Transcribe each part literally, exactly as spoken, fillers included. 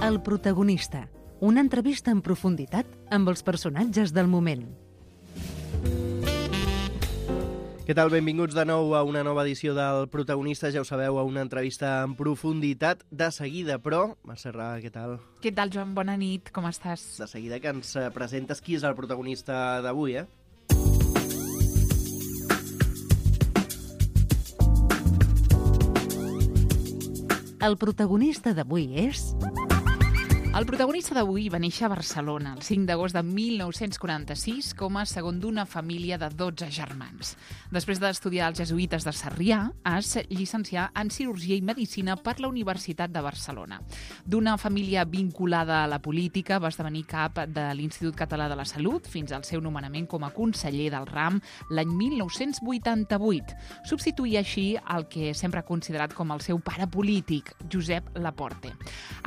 El protagonista, una entrevista en profunditat amb els personatges del moment. Què tal? Benvinguts de nou a una nova edició del Protagonista. Ja ho sabeu, a una entrevista en profunditat. De seguida, però... Mercè Ra, què tal? Què tal, Joan? Bona nit, com estàs? De seguida que ens presentes qui és el protagonista d'avui, eh? El protagonista d'avui és... El protagonista d'avui va néixer a Barcelona el cinc d'agost de mil nou-cents quaranta-sis com a segon d'una família de dotze germans. Després d'estudiar als jesuïtes de Sarrià, es llicencià en Cirurgia i Medicina per la Universitat de Barcelona. D'una família vinculada a la política, va esdevenir cap de l'Institut Català de la Salut fins al seu nomenament com a conseller del ram l'any mil nou-cents vuitanta-vuit. Substituïa així el que sempre ha considerat com el seu pare polític, Josep Laporte.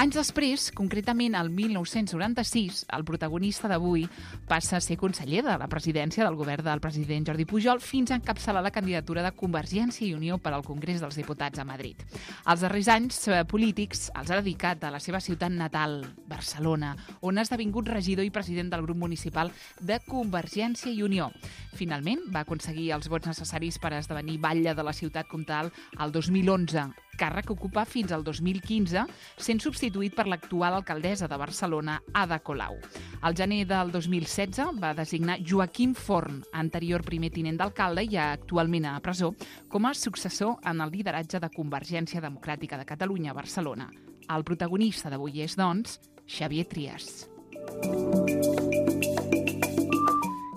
Anys després, concretament al mil nou-cents noranta-sis, el protagonista d'avui passa a ser conseller de la presidència del govern del president Jordi Pujol fins a encapçalar la candidatura de Convergència i Unió per al Congrés dels Diputats a Madrid. Els darrers anys polítics els ha dedicat a la seva ciutat natal, Barcelona, on ha esdevingut regidor i president del grup municipal de Convergència i Unió. Finalment, va aconseguir els vots necessaris per esdevenir batlle de la ciutat comtal el dos mil onze, càrrec que ocupa fins al dos mil quinze, sent substituït per l'actual alcaldessa de Barcelona, Ada Colau. Al gener del dos mil setze va designar Joaquim Forn, anterior primer tinent d'alcalde i actualment a presó, com a successor en el lideratge de Convergència Democràtica de Catalunya a Barcelona. El protagonista d'avui és, doncs, Xavier Trias.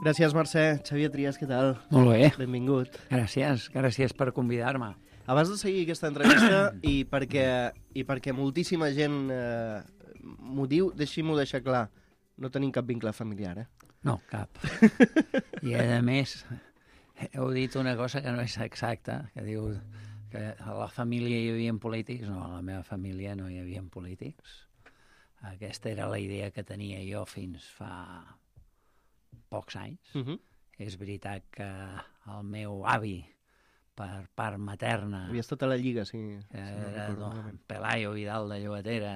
Gràcies, Mercè. Xavier Trias, què tal? Molt bé. Benvingut. Gràcies, gràcies per convidar-me. Abans de seguir aquesta entrevista, i perquè, i perquè moltíssima gent eh, m'ho diu, deixi-m'ho deixar clar, no tenim cap vincle familiar, eh? No, cap. I a més, heu dit una cosa que no és exacta, que diu que a la família hi havia polítics. No, a la meva família no hi havia polítics. Aquesta era la idea que tenia jo fins fa pocs anys. Uh-huh. És veritat que el meu avi, per part materna... Havia estat a la Lliga, sí. Era si no Pelayo Vidal de Llobatera.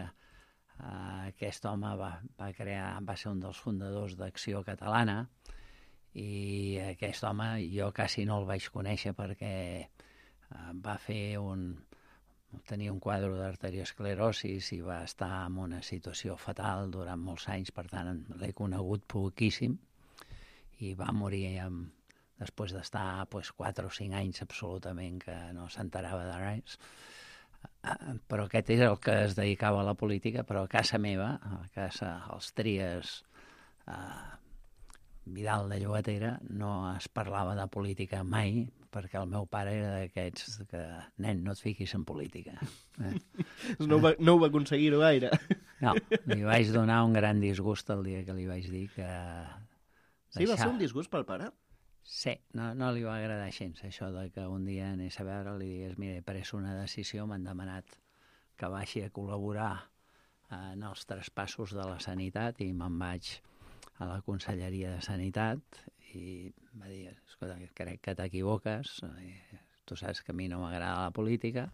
Uh, aquest home va, va crear, va ser un dels fundadors d'Acció Catalana, i aquest home jo quasi no el vaig conèixer perquè uh, va fer un... tenia un quadre d'arteriosclerosis i va estar en una situació fatal durant molts anys, per tant l'he conegut poquíssim, i va morir amb... després d'estar pues, quatre o cinc anys absolutament que no s'enterava de res. Uh, però aquest és el que es dedicava a la política, però a casa meva, a casa els Trias, uh, Vidal de Llobatera, no es parlava de política mai, perquè el meu pare era d'aquests que, nen, no et fiquis en política. Eh? no, va, no ho va aconseguir-ho gaire. No, li vaig donar un gran disgust el dia que li vaig dir que... Sí, va ser un disgust pel pare? Sí, no, no li va agradar gens això de que un dia anés a veure, li digués, mira, he pres una decisió, m'han demanat que baixi a col·laborar en els traspassos de la sanitat, i me'n vaig a la Conselleria de Sanitat i va dir, escolta, crec que t'equivoques, tu saps que a mi no m'agrada la política,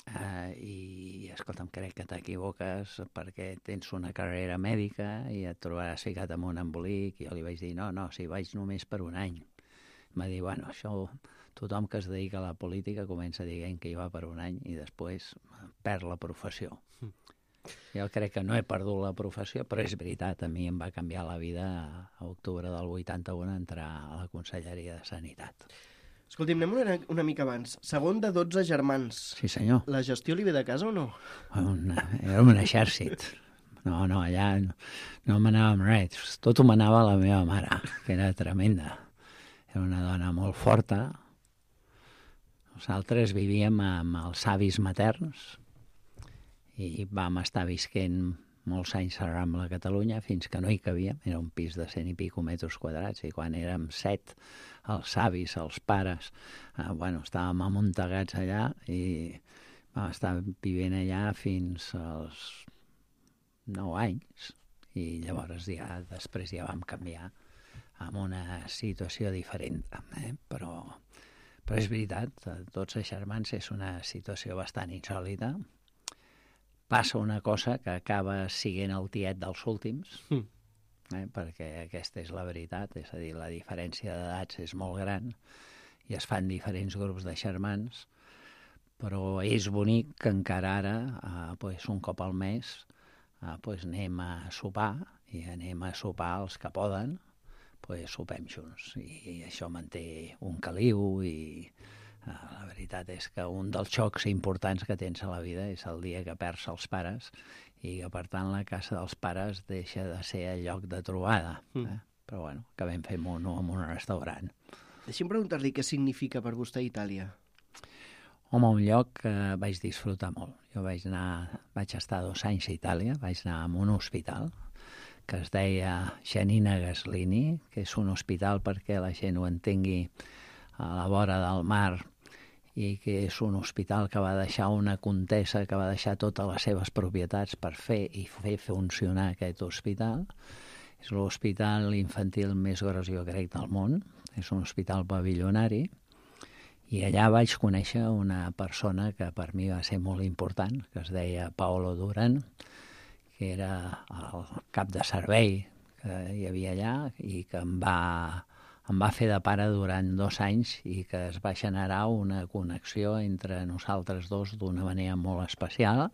Uh, i escolta'm, crec que t'equivoques perquè tens una carrera mèdica i et trobaràs ficat en un embolic. I jo li vaig dir, no, no, si vaig només per un any. Va dir, bueno, això tothom que es dedica a la política comença dient que hi va per un any i després perd la professió. Mm. Jo crec que no he perdut la professió, però és veritat, a mi em va canviar la vida a octubre del vuitanta-un entrar a la Conselleria de Sanitat. Escolti'm, anem una, una mica abans. Segon de dotze germans. Sí, senyor. La gestió li ve de casa o no? Una, era un exèrcit. No, no, allà no, no manava amb res. Tot ho manava la meva mare, que era tremenda. Era una dona molt forta. Nosaltres vivíem amb els avis materns i vam estar visquent molts anys a Rambla, Catalunya, fins que no hi cavíem. Era un pis de cent i pico metres quadrats, i quan érem set, els avis, els pares, eh, bueno, estàvem amuntegats allà i vam estar vivint allà fins als nou anys, i llavors ja, després ja vam canviar amb una situació diferent, eh? però, però és veritat, tots els germans és una situació bastant insòlita, passa una cosa que acaba siguent el tiet dels últims, Mm. eh, perquè aquesta és la veritat, és a dir, la diferència d'edats és molt gran i es fan diferents grups de germans, però és bonic que encara ara, eh, pues, un cop al mes, eh, pues, anem a sopar i anem a sopar els que poden, pues, sopem junts. I això manté un caliu i eh, la veritat és que un dels xocs importants que tens a la vida és el dia que perds els pares i que, per tant, la casa dels pares deixa de ser el lloc de trobada. Eh? Mm. Però, bueno, acabem fent-ho en un restaurant. Deixi'm preguntar-li què significa per vostè Itàlia. Home, un lloc que vaig disfrutar molt. Jo vaig anar, vaig estar dos anys a Itàlia, vaig anar a un hospital que es deia Giannina Gaslini, que és un hospital, perquè la gent ho entengui, a la vora del mar, i que és un hospital que va deixar una comtessa que va deixar totes les seves propietats per fer i fer funcionar aquest hospital. És l'hospital infantil més gros, jo crec, del món. És un hospital pavillonari. I allà vaig conèixer una persona que per mi va ser molt important, que es deia Paolo Duran, que era el cap de servei que hi havia allà i que em va, em va fer de pare durant dos anys i que es va generar una connexió entre nosaltres dos d'una manera molt especial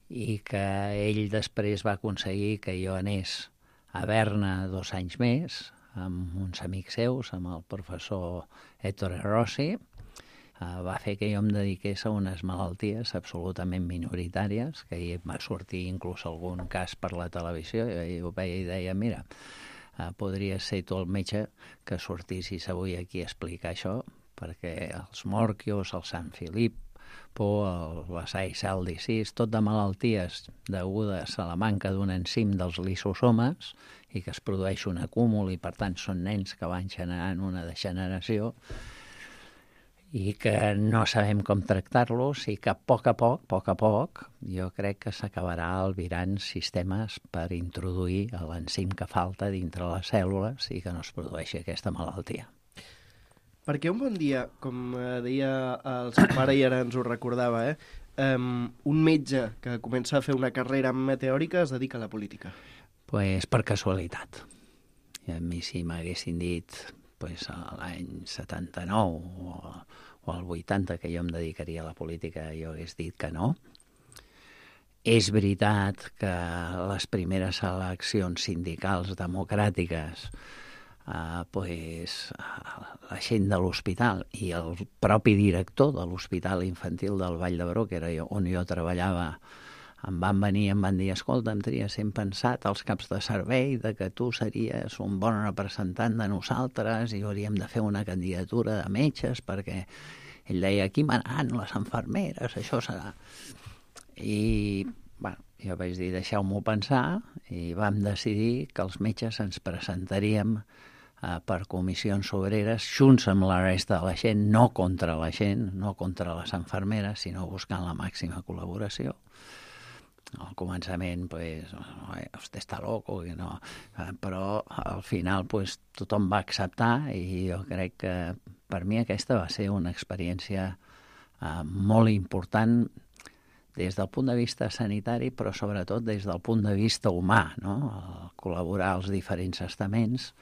i que ell després va aconseguir que jo anés a Berna dos anys més amb uns amics seus, amb el professor Ettore Rossi. Uh, va fer que jo em dediqués a unes malalties absolutament minoritàries, que hi va sortir inclús algun cas per la televisió, i ho veia i deia, mira, uh, podries ser tu el metge que sortissis avui aquí a explicar això, perquè els morquios, el Sant Filip, por la Séicel disease, tot de malalties degudes a la manca d'un enzim dels lisosomes i que es produeix un acúmul i per tant són nens que van generant una degeneració i que no sabem com tractar-los i que a poc a poc, a poc a poc, jo crec que s'acabarà albirant sistemes per introduir l'enzim que falta dintre les cèl·lules i que no es produeixi aquesta malaltia. Perquè un bon dia, com deia el seu pare i ara ens ho recordava, eh, um, un metge que comença a fer una carrera meteòrica es dedica a la política. Pues per casualitat. I a mi si m'haguessin dit pues, l'any setanta-nou o, o el vuitanta que jo em dedicaria a la política, jo hagués dit que no. És veritat que les primeres eleccions sindicals democràtiques Uh, pues, la gent de l'hospital i el propi director de l'Hospital Infantil del Vall d'Hebron, que era on jo treballava, em van venir i em van dir, escolta, em tenia sempre pensat als caps de servei de que tu series un bon representant de nosaltres i hauríem de fer una candidatura de metges perquè ell deia, aquí manaran les infermeres, això serà. I, bueno, jo vaig dir, deixeu-m'ho pensar i vam decidir que els metges ens presentaríem Uh, per comissions obreres, junts amb la resta de la gent, no contra la gent, no contra les infermeres, sinó buscant la màxima col·laboració. Al començament, pues, vostè està loco, i no, uh, però al final pues, tothom va acceptar i jo crec que per mi aquesta va ser una experiència uh, molt important des del punt de vista sanitari, però sobretot des del punt de vista humà, no? El col·laborar als diferents estaments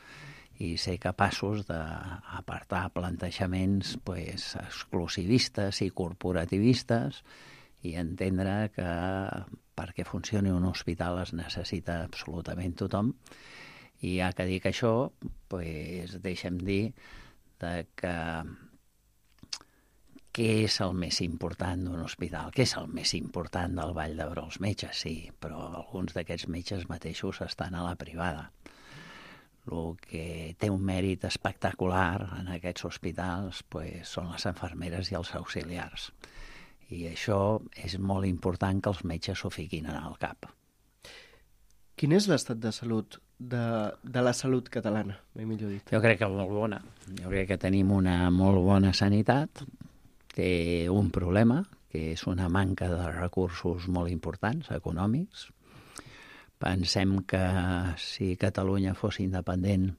i ser capaços d'apartar plantejaments pues, exclusivistes i corporativistes i entendre que perquè funcioni un hospital es necessita absolutament tothom. I ja que dic això, pues, deixa'm dir de que què és el més important d'un hospital? Què és el més important del Vall d'Hebron? Els metges, sí, però alguns d'aquests metges mateixos estan a la privada. El que té un mèrit espectacular en aquests hospitals pues, són les infermeres i els auxiliars. I això és molt important que els metges s'ho fiquin en el cap. Quin és l'estat de salut de, de la salut catalana, ben millor dit? Jo crec que molt bona. Jo crec que tenim una molt bona sanitat. Té un problema, que és una manca de recursos molt importants, econòmics. Pensem que si Catalunya fos independent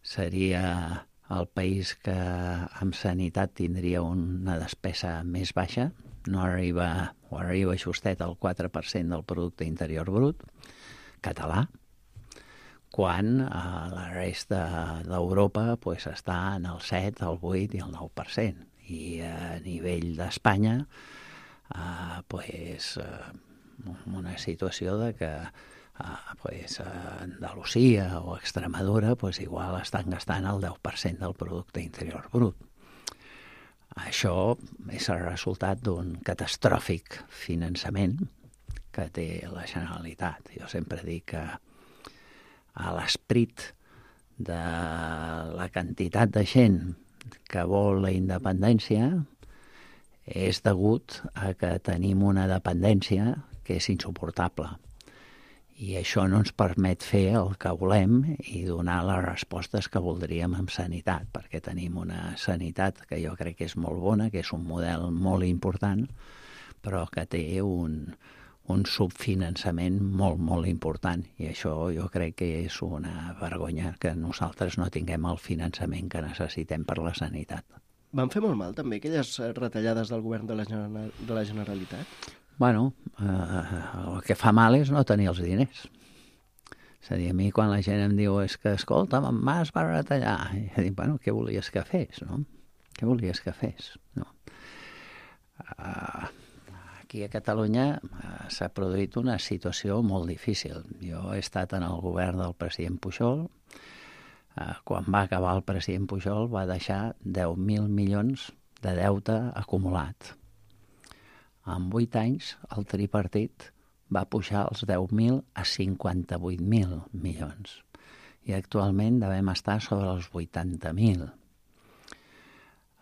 seria el país que amb sanitat tindria una despesa més baixa no arriba, o arriba justet al quatre per cent del producte interior brut català, quan a la resta d'Europa pues, està en el set, el vuit i el nou per cent. I a nivell d'Espanya, eh, pues, eh, una situació de que eh, pues, Andalusia o Extremadura pues, igual estan gastant el deu per cent del producte interior brut. Això és el resultat d'un catastròfic finançament que té la Generalitat. Jo sempre dic que a l'esperit de la quantitat de gent que vol la independència és degut a que tenim una dependència que és insuportable. I això no ens permet fer el que volem i donar les respostes que voldríem en sanitat, perquè tenim una sanitat que jo crec que és molt bona, que és un model molt important, però que té un, un subfinançament molt, molt important. I això jo crec que és una vergonya que nosaltres no tinguem el finançament que necessitem per la sanitat. Van fer molt mal també aquelles retallades del govern de la, General, de la Generalitat? Bueno, eh, el que fa mal és no tenir els diners. És a dir, a mi quan la gent em diu és que, escolta, en Mas va retallar, i jo dic, bueno, què volies que fes, no? Què volies que fes, no? Uh, aquí a Catalunya uh, s'ha produït una situació molt difícil. Jo he estat en el govern del president Pujol. Uh, quan va acabar el president Pujol va deixar deu mil milions de deute acumulat. En vuit anys, el tripartit va pujar els deu mil a cinquanta-vuit mil milions. I actualment devem estar sobre els vuitanta mil.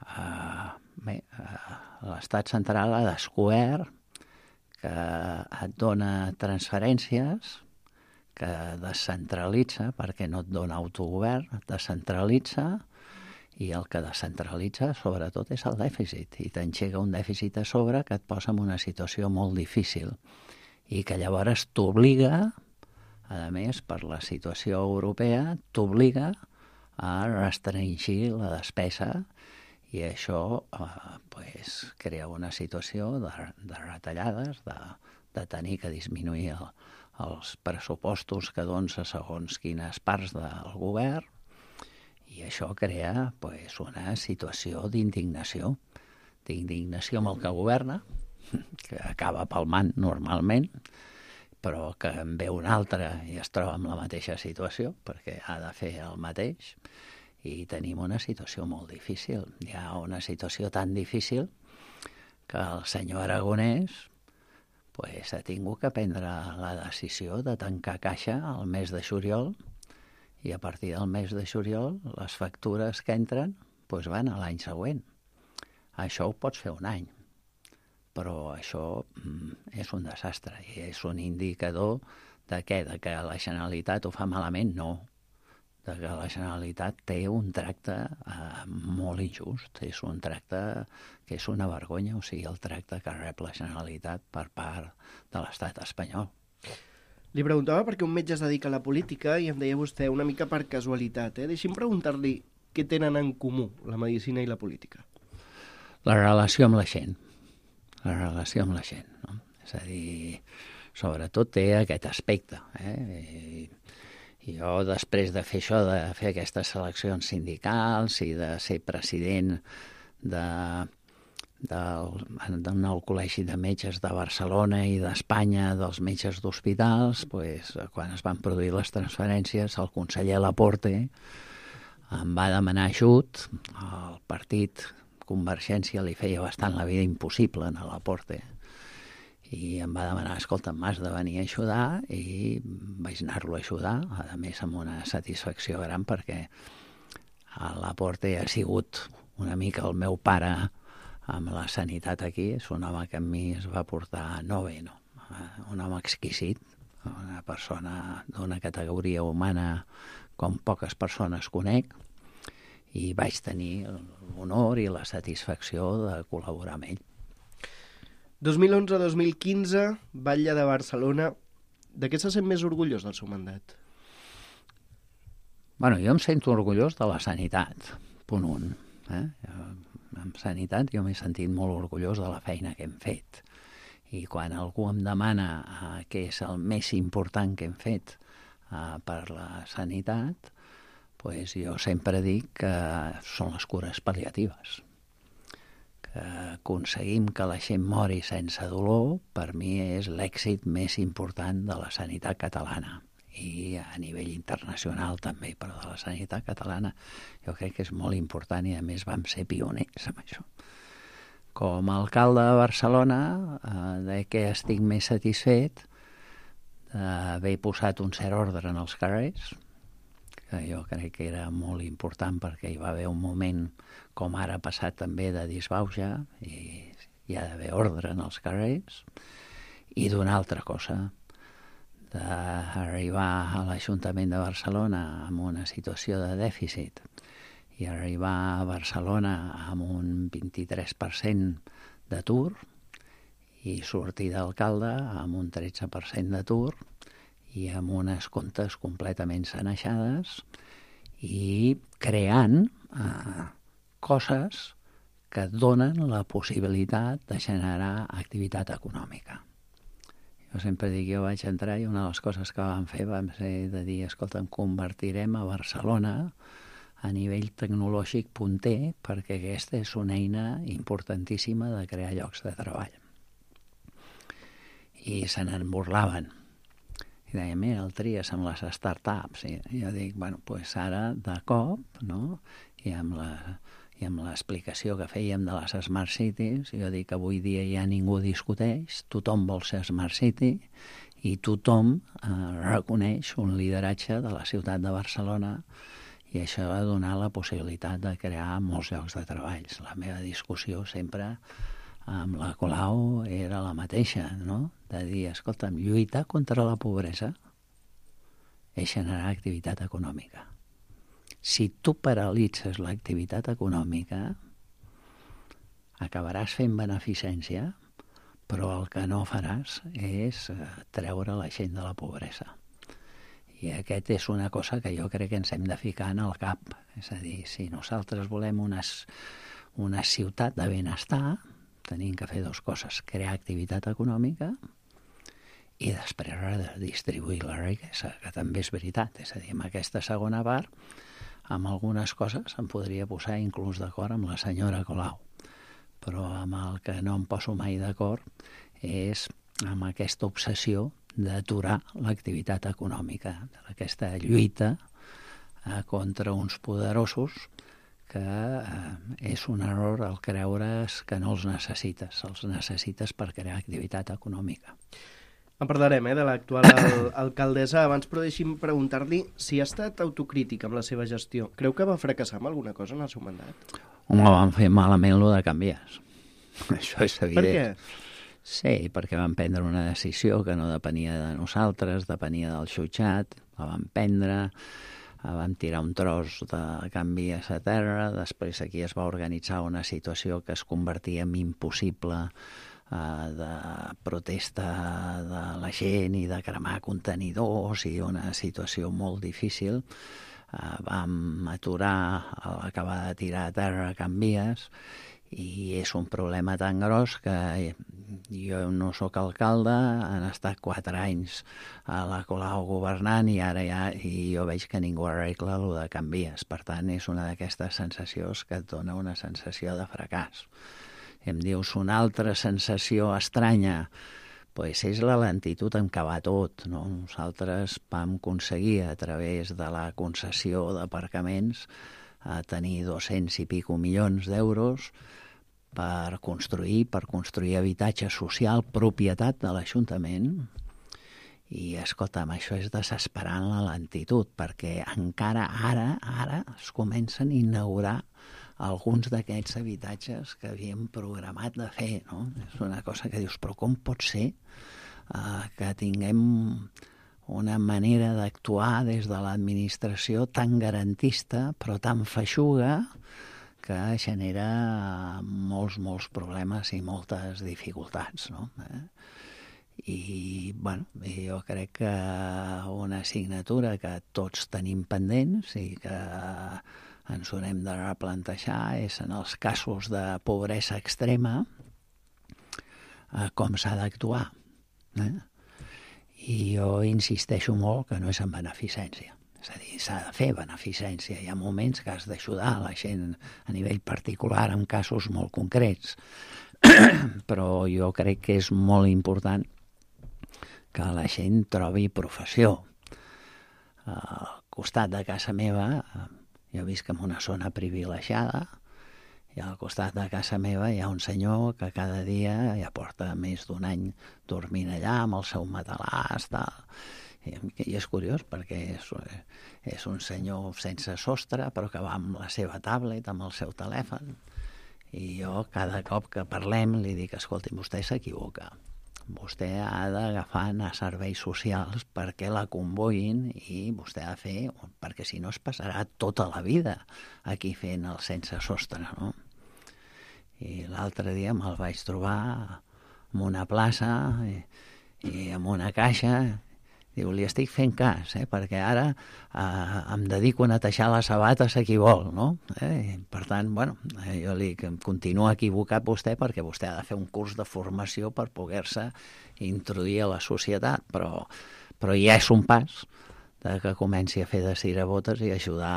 Uh, bé, uh, l'Estat central ha descobert que et dona transferències, que descentralitza, perquè no et dona autogovern, et descentralitza, i el que descentralitza, sobretot, és el dèficit. I t'enxega un dèficit a sobre que et posa en una situació molt difícil i que llavors t'obliga, a més, per la situació europea, t'obliga a restringir la despesa i això eh, pues, crea una situació de, de retallades, de, de tenir que disminuir el, els pressupostos que dones a segons quines parts del govern. I això crea pues, una situació d'indignació, d'indignació amb el que governa, que acaba palmant normalment, però que en ve un altre i es troba en la mateixa situació, perquè ha de fer el mateix, i tenim una situació molt difícil. Hi ha una situació tan difícil que el senyor Aragonès pues, ha tingut que prendre la decisió de tancar caixa al mes de juliol, i a partir del mes de juliol les factures que entren doncs van a l'any següent. Això ho pots fer un any, però això mm, és un desastre i és un indicador de què? De que la Generalitat ho fa malament? No. De que la Generalitat té un tracte eh, molt injust, és un tracte que és una vergonya, o sigui, el tracte que rep la Generalitat per part de l'estat espanyol. Li preguntava perquè un metge es dedica a la política i em deia vostè una mica per casualitat. Eh? Deixi'm preguntar-li què tenen en comú la medicina i la política. La relació amb la gent. La relació amb la gent. No? És a dir, sobretot té aquest aspecte. Eh? I, i jo, després de fer això, de fer aquestes seleccions sindicals i de ser president de... del, del nou col·legi de metges de Barcelona i d'Espanya, dels metges d'hospitals, pues, quan es van produir les transferències, el conseller Laporte em va demanar ajut. El partit Convergència li feia bastant la vida impossible a Laporte i em va demanar, escolta, m'has de venir a ajudar, i vaig anar-lo a ajudar, a més amb una satisfacció gran, perquè el Laporte ha sigut una mica el meu pare amb la sanitat aquí. És un home que a mi es va portar no bé, no? Un home exquisit, una persona d'una categoria humana com poques persones conec, i vaig tenir l'honor i la satisfacció de col·laborar amb ell. dos mil onze a dos mil quinze, Batlle de Barcelona. De què se sent més orgullós del seu mandat? Bueno, jo em sento orgullós de la sanitat, punt un. Eh? Em sanitat jo m'he sentit molt orgullós de la feina que hem fet. I quan algú em demana uh, què és el més important que hem fet uh, per la sanitat, pues jo sempre dic que són les cures pal·liatives. Que aconseguim que la gent mori sense dolor, per mi és l'èxit més important de la sanitat catalana. I a nivell internacional també, però de la sanitat catalana jo crec que és molt important i a més vam ser pioners amb això. Com a alcalde de Barcelona, eh, de què estic més satisfet d'haver posat un cert ordre en els carrers, que jo crec que era molt important perquè hi va haver un moment, com ara ha passat també, de disbauxa, i hi ha d'haver ordre en els carrers, i d'una altra cosa, d'arribar a l'Ajuntament de Barcelona amb una situació de dèficit i arribar a Barcelona amb un vint-i-tres per cent d'atur i sortir d'alcalde amb un tretze per cent d'atur i amb unes comptes completament sanejades i creant eh, coses que donen la possibilitat de generar activitat econòmica. Jo sempre dic, jo vaig entrar i una de les coses que vam fer vam ser de dir, escolta, em convertirem a Barcelona a nivell tecnològic punter, perquè aquesta és una eina importantíssima de crear llocs de treball. I se n'en burlaven. I deien, mira, el tries amb les startups. I jo dic, bueno, doncs ara, de cop, no?, i amb la i amb l'explicació que fèiem de les Smart Cities, jo dic que avui dia ja ningú discuteix, tothom vol ser Smart City i tothom eh, reconeix un lideratge de la ciutat de Barcelona i això va donar la possibilitat de crear molts llocs de treball. La meva discussió sempre amb la Colau era la mateixa, no?, de dir, escolta'm, lluitar contra la pobresa és generar activitat econòmica. Si tu paralitzes l'activitat econòmica, acabaràs fent beneficència, però el que no faràs és treure la gent de la pobresa. I aquest és una cosa que jo crec que ens hem de ficar en el cap. És a dir, si nosaltres volem una, una ciutat de benestar, tenim que fer dues coses, crear activitat econòmica i després redistribuir la riquesa, que també és veritat. És a dir, amb aquesta segona part, amb algunes coses em podria posar inclús d'acord amb la senyora Colau, però amb el que no em poso mai d'acord és amb aquesta obsessió d'aturar l'activitat econòmica, aquesta lluita eh, contra uns poderosos que eh, és un error el creure's que no els necessites, els necessites per crear activitat econòmica. En parlarem, eh, de l'actual al alcaldessa. Abans, però deixi'm preguntar-li si ha estat autocrític amb la seva gestió. Creu que va fracassar amb alguna cosa en el seu mandat? Home, van fer malament lo de canvies. Això és evident. Per què? Sí, perquè vam prendre una decisió que no depenia de nosaltres, depenia del jutjat, la vam prendre, vam tirar un tros de canvies a terra, després aquí es va organitzar una situació que es convertia en impossible eh, de protesta de la gent i de cremar contenidors i una situació molt difícil. Eh, vam aturar, acabar de tirar a terra canvies i és un problema tan gros que jo no sóc alcalde, han estat quatre anys a la Colau governant i ara ja i jo veig que ningú arregla el de canvies. Per tant, és una d'aquestes sensacions que et dona una sensació de fracàs. Em dius una altra sensació estranya, pues és la lentitud en què va tot, no? Nosaltres vam aconseguir a través de la concessió d'aparcaments a tenir dos-cents i pico milions d'euros per construir, per construir habitatge social, propietat de l'Ajuntament. I, escolta'm, això és desesperant la lentitud, perquè encara ara, ara es comencen a inaugurar alguns d'aquests habitatges que havíem programat de fer, no? És una cosa que dius, però com pot ser eh, que tinguem una manera d'actuar des de l'administració tan garantista, però tan feixuga, que genera molts, molts problemes i moltes dificultats, no? Eh? I, bueno, jo crec que una assignatura que tots tenim pendents i que ens haurem de replantejar és en els casos de pobresa extrema eh, com s'ha d'actuar. Eh? I jo insisteixo molt que no és en beneficència. És a dir, s'ha de fer beneficència. Hi ha moments que has d'ajudar la gent a nivell particular en casos molt concrets. Però jo crec que és molt important que la gent trobi professió. Al costat de casa meva, jo visc en una zona privilegiada, i al costat de casa meva hi ha un senyor que cada dia ja porta més d'un any dormint allà amb el seu matalàs, tal. I és curiós perquè és, és un senyor sense sostre, però que va amb la seva tablet, amb el seu telèfon. I jo cada cop que parlem li dic, escolti, vostè s'equivoca. Vostè ha d'agafar anar a serveis socials perquè la convoïn i vostè ha de fer, perquè si no es passarà tota la vida aquí fent el sense sostre, no? I l'altre dia me'l vaig trobar en una plaça i, i en una caixa. Diu, li estic fent cas, eh, perquè ara eh, em dedico a netejar les sabates a qui vol, no? Eh? Per tant, bueno, eh, jo li continuo equivocat vostè perquè vostè ha de fer un curs de formació per poder-se introduir a la societat, però, però ja és un pas de que comenci a fer de cirabotes i ajudar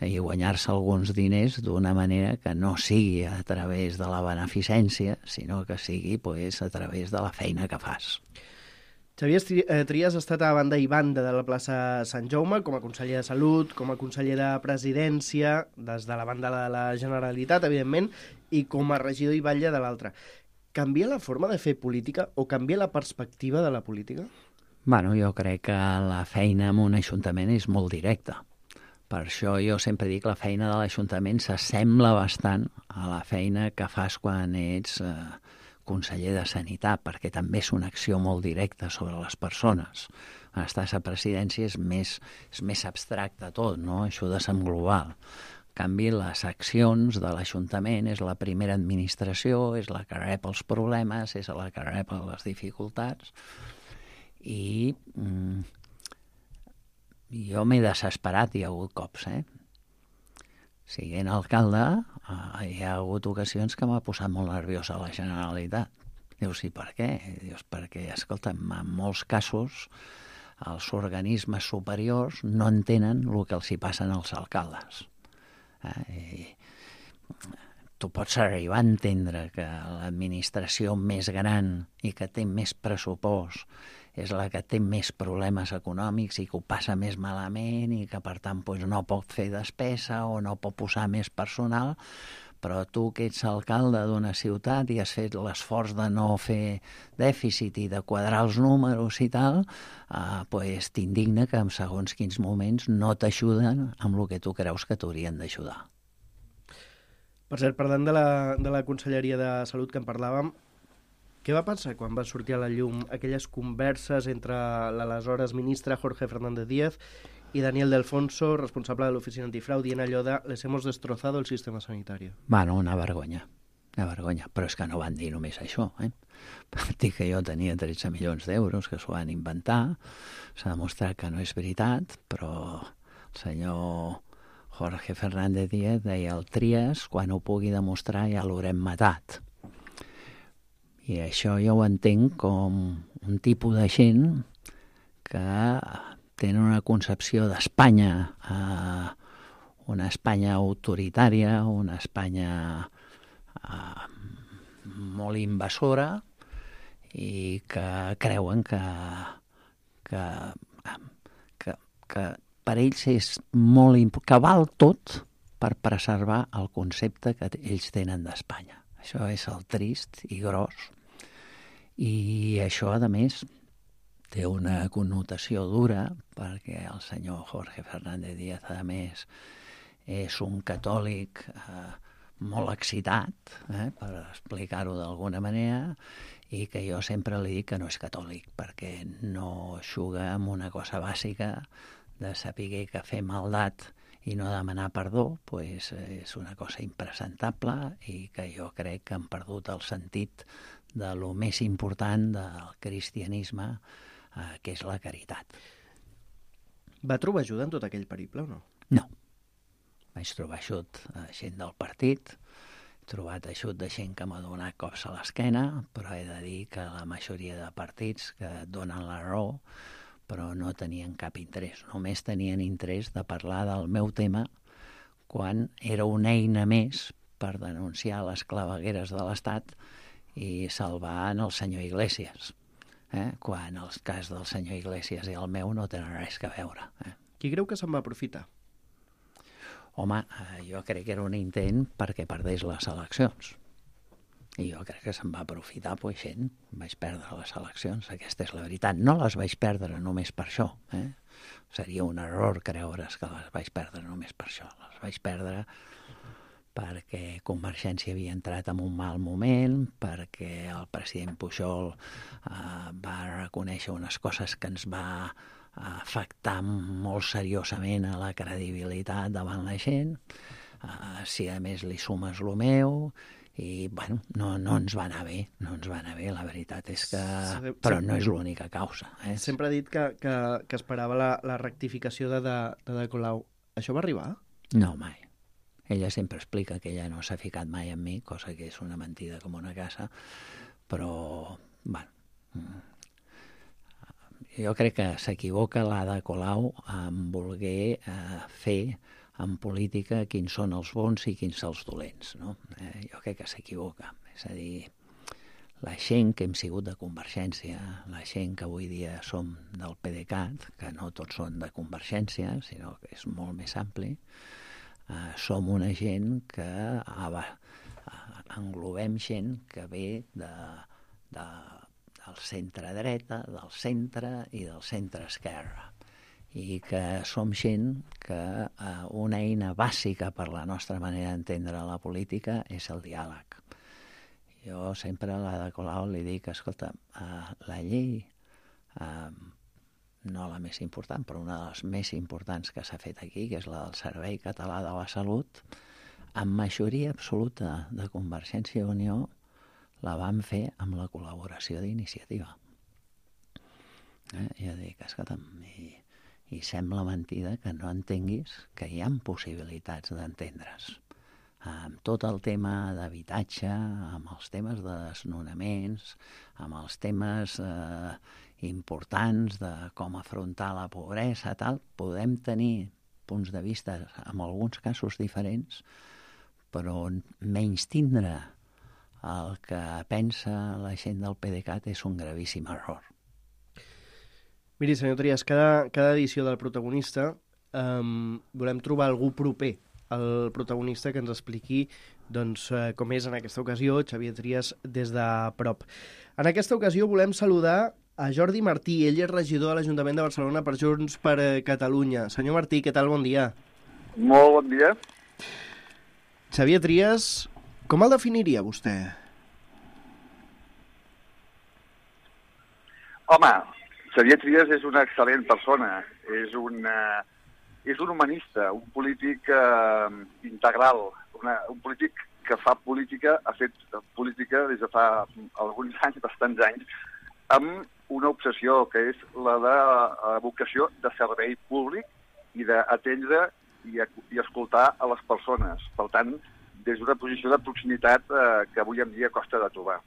i guanyar-se alguns diners d'una manera que no sigui a través de la beneficència, sinó que sigui pues, a través de la feina que fas. Xavier Trias ha estat a banda i banda de la plaça Sant Jaume com a conseller de Salut, com a conseller de Presidència, des de la banda de la Generalitat, evidentment, i com a regidor i batlle de l'altra. Canvia la forma de fer política o canvia la perspectiva de la política? Bueno, jo crec que la feina en un ajuntament és molt directa. Per això jo sempre dic que la feina de l'Ajuntament s'assembla bastant a la feina que fas quan ets eh, conseller de Sanitat, perquè també és una acció molt directa sobre les persones. Quan estàs a presidència és més, és més abstracte tot, no? Ajudes en global. En canvi, les accions de l'Ajuntament és la primera administració, és la que rep els problemes, és la que rep les dificultats. I... Mm, jo m'he desesperat, hi ha hagut cops, eh? Siguent alcalde, eh, hi ha hagut ocasions que m'ha posat molt nerviós a la Generalitat. Dius, sí, per què? Dius, perquè, escolta'm, en molts casos els organismes superiors no entenen el que els hi passen als alcaldes. Eh? I tu pots arribar a entendre que l'administració més gran i que té més pressupost és la que té més problemes econòmics i que ho passa més malament i que, per tant, doncs, no pot fer despesa o no pot posar més personal, però tu que ets alcalde d'una ciutat i has fet l'esforç de no fer dèficit i de quadrar els números i tal, eh, doncs t'indigna que en segons quins moments no t'ajuden amb el que tu creus que t'haurien d'ajudar. Per cert, parlant de la, de la Conselleria de Salut que en parlàvem, què va passar quan va sortir a la llum aquelles converses entre l'aleshores ministre Jorge Fernández Díaz i Daniel de Alfonso, responsable de l'Oficina Antifrau, dient allò de «les hemos destrozado el sistema sanitario»? Bueno, una vergonya, una vergonya. Però és que no van dir només això, eh? Van dir que jo tenia tretze milions d'euros, que s'ho van inventar. S'ha demostrat que no és veritat, però el senyor Jorge Fernández Díaz deia el Trias, quan ho pugui demostrar ja l'haurem matat. I això jo ho entenc com un tipus de gent que tenen una concepció d'Espanya, eh, una Espanya autoritària, una Espanya eh, molt invasora i que creuen que, que, que, que per ells és molt important, que val tot per preservar el concepte que ells tenen d'Espanya. Això és el trist i gros. I això, a més, té una connotació dura perquè el senyor Jorge Fernández Díaz, a més, és un catòlic eh, molt excitat, eh, per explicar-ho d'alguna manera, i que jo sempre li dic que no és catòlic, perquè no juga amb una cosa bàsica de saber que fer maldat i no demanar perdó, pues, és una cosa impresentable i que jo crec que han perdut el sentit de lo més important del cristianisme, eh, que és la caritat. Va trobar ajuda en tot aquell periple o no? No. vaig trobar eixut a gent del partit, he trobat eixut de gent que m'ha donat cops a l'esquena, però he de dir que la majoria de partits que et donen la raó, però no tenien cap interès. Només tenien interès de parlar del meu tema quan era una eina més per denunciar les clavegueres de l'Estat i salvar el senyor Iglesias, eh? Quan el cas del senyor Iglesias i el meu no tenen res a veure. Eh? Qui creu que se'n va aprofitar? Home, eh, jo crec que era un intent perquè perdés les eleccions. I jo crec que se'n va aprofitar, pues, gent. Vaig perdre les eleccions, aquesta és la veritat. No les vaig perdre només per això. Eh? Seria un error creure's que les vaig perdre només per això. Les vaig perdre perquè Convergència havia entrat en un mal moment, perquè el president Pujol eh, va reconèixer unes coses que ens va afectar molt seriosament a la credibilitat davant la gent, eh, si a més li sumes lo meu, i bueno, no, no ens va anar bé, no ens va anar bé, la veritat és que... Però no és l'única causa. Eh? Sempre ha dit que, que, que esperava la, la rectificació de, de, de De Colau. Això va arribar? No, mai. Ella sempre explica que ella no s'ha ficat mai en mi, cosa que és una mentida com una casa, però, bueno, jo crec que s'equivoca l'Ada Colau en voler eh, fer en política quins són els bons i quins els dolents, no? Eh, jo crec que s'equivoca. És a dir, la gent que hem sigut de Convergència, la gent que avui dia som del PDeCAT, que no tots són de Convergència, sinó que és molt més ampli, eh, som una gent que ah, englobem gent que ve de, de, del centre-dreta, del centre i del centre-esquerra, i que som gent que eh, una eina bàsica per la nostra manera d'entendre la política és el diàleg. Jo sempre a l'Ada Colau li dic, escolta, eh, la llei, eh, no la més important, però una de les més importants que s'ha fet aquí, que és la del Servei Català de la Salut, amb majoria absoluta de Convergència i Unió, la vam fer amb la col·laboració d'Iniciativa. Eh? Jo dic, escolta, i, i sembla mentida que no entenguis que hi ha possibilitats d'entendre's. Amb tot el tema d'habitatge, amb els temes de desnonaments, amb els temes eh, importants de com afrontar la pobresa, tal, podem tenir punts de vista en alguns casos diferents, però menys tindre el que pensa la gent del PDeCAT és un gravíssim error. Miri, senyor Trias, cada, cada edició del protagonista um, volem trobar algú proper al protagonista que ens expliqui doncs, eh, com és en aquesta ocasió Xavier Trias des de prop. En aquesta ocasió volem saludar a Jordi Martí. Ell és regidor de l'Ajuntament de Barcelona per Junts per Catalunya. Senyor Martí, què tal? Bon dia. Molt bon dia. Xavier Trias, com el definiria vostè? Home, Xavier Trias és una excel·lent persona. És una... És un humanista, un polític eh, integral, una, un polític que fa política, ha fet política des de fa alguns anys, bastants anys, amb una obsessió que és la de la vocació de servei públic i d'atendre i, i escoltar a les persones. Per tant, des d'una posició de proximitat eh, que avui en dia costa de trobar.